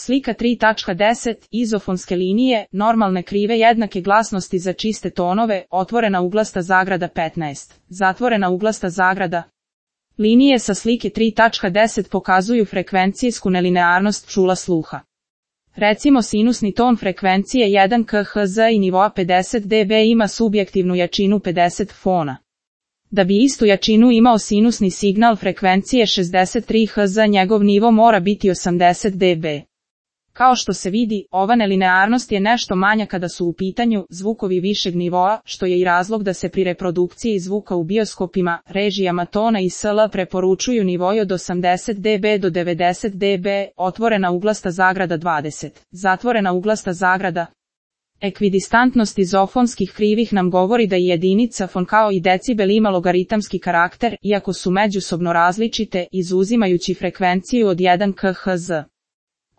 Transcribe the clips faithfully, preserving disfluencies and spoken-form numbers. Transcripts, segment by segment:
Slika tri tačka deset. Izofonske linije, normalne krive jednake glasnosti za čiste tonove, otvorena uglasta zagrada petnaest, zatvorena uglasta zagrada. Linije sa slike tri tačka deset pokazuju frekvencijsku nelinearnost čula sluha. Recimo sinusni ton frekvencije jedan kilohertz i nivoa pedeset decibela ima subjektivnu jačinu pedeset fona. Da bi istu jačinu imao sinusni signal frekvencije šezdeset tri hertz, njegov nivo mora biti osamdeset decibela. Kao što se vidi, ova nelinearnost je nešto manja kada su u pitanju zvukovi višeg nivoa, što je i razlog da se pri reprodukciji zvuka u bioskopima, režijama tona i sl preporučuju nivoji od osamdeset decibela do devedeset decibela, otvorena uglasta zagrada dvadeset, zatvorena uglasta zagrada. Ekvidistantnost izofonskih krivih nam govori da i jedinica fon kao i decibel ima logaritamski karakter, iako su međusobno različite, izuzimajući frekvenciju od jedan kilohertz.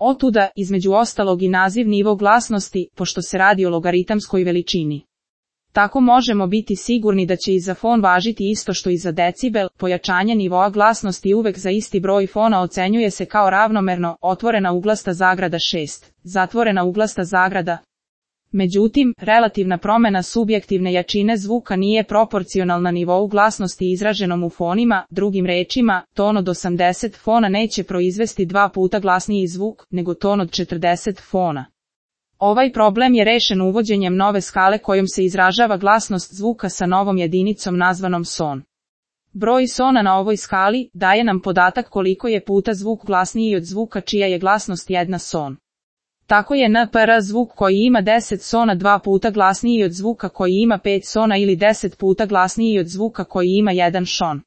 Otuda, između ostalog i naziv nivo glasnosti, pošto se radi o logaritamskoj veličini. Tako možemo biti sigurni da će i za fon važiti isto što i za decibel. Pojačanje nivoa glasnosti uvek za isti broj fona ocenjuje se kao ravnomerno, otvorena uglasta zagrada šest, zatvorena uglasta zagrada. Međutim, relativna promjena subjektivne jačine zvuka nije proporcionalna nivou glasnosti izraženom u fonima, drugim rečima, ton od osamdeset fona neće proizvesti dva puta glasniji zvuk, nego ton od četrdeset fona. Ovaj problem je rešen uvođenjem nove skale kojom se izražava glasnost zvuka sa novom jedinicom nazvanom son. Broj sona na ovoj skali daje nam podatak koliko je puta zvuk glasniji od zvuka čija je glasnost jedna son. Tako je en pe er zvuk koji ima deset sona dva puta glasniji od zvuka koji ima pet sona ili deset puta glasniji od zvuka koji ima jedan šon.